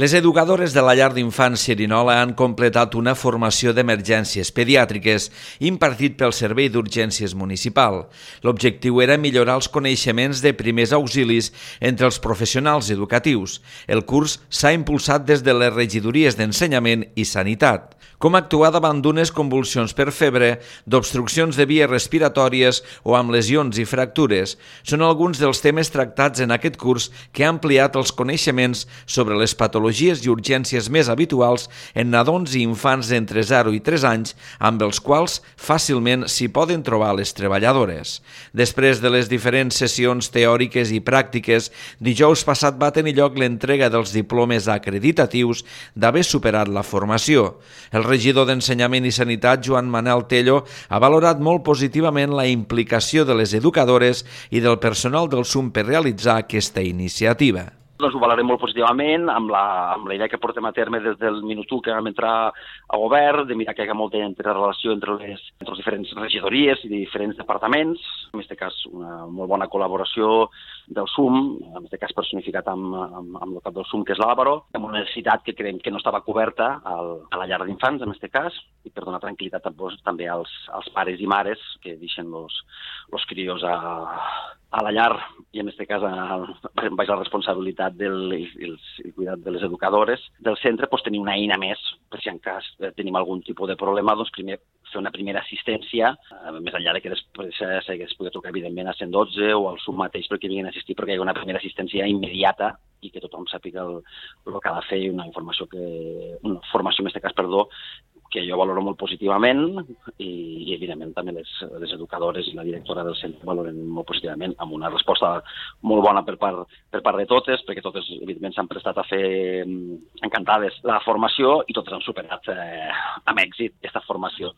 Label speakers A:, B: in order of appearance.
A: Les educadores de la llar d'infants Xerinola han completat una formació d'emergències pediàtriques impartit pel Servei d'Urgències Municipal. L'objectiu era millorar els coneixements de primers auxilis entre els professionals educatius. El curs s'ha impulsat des de les regidories d'Ensenyament i Sanitat. Com actuar davant d'unes convulsions per febre, d'obstruccions de vies respiratòries o amb lesions i fractures són alguns dels temes tractats en aquest curs que ha ampliat els coneixements sobre les patologies i urgències més habituals en nadons i infants d'entre 0 i 3 anys, amb els quals fàcilment s'hi poden trobar les treballadores. Després de les diferents sessions teòriques i pràctiques, dijous passat va tenir lloc l'entrega dels diplomes acreditatius d'haver superat la formació. El regidor d'Ensenyament i Sanitat, Joan Manel Tello, ha valorat molt positivament la implicació de les educadores i del personal del SUM per realitzar aquesta iniciativa.
B: Doncs ho valorem molt positivament, amb la idea que portem a terme des del minut 1 que vam entrar a govern, de mirar que hi ha molta interrelació entre les diferents regidories i diferents departaments, en aquest cas una molt bona col·laboració del SUM, en aquest cas personificat amb el cap del SUM, que és l'Àlvaro, amb una necessitat que creiem que no estava coberta a la llar d'infants, en aquest cas, i per donar tranquil·litat també als pares i mares que deixen els crios a la llar, i en aquest cas baix la responsabilitat i cuidat de les educadores del centre, tenir una eina més, per si en cas tenim algun tipus de problema, doncs primer fer una primera assistència, més enllà de que després s'hagués pogut trucar evidentment a 112 o al SUM mateix perquè vinguin a assistir, perquè hi ha una primera assistència immediata i que tothom sàpiga el que ha de fer, una formació en aquest cas, que jo valoro molt positivament i evidentment també les educadores i la directora del centre valoren molt positivament, amb una resposta molt bona per part de totes, perquè totes evidentment s'han prestat a fer encantades la formació i totes han superat amb èxit aquesta formació.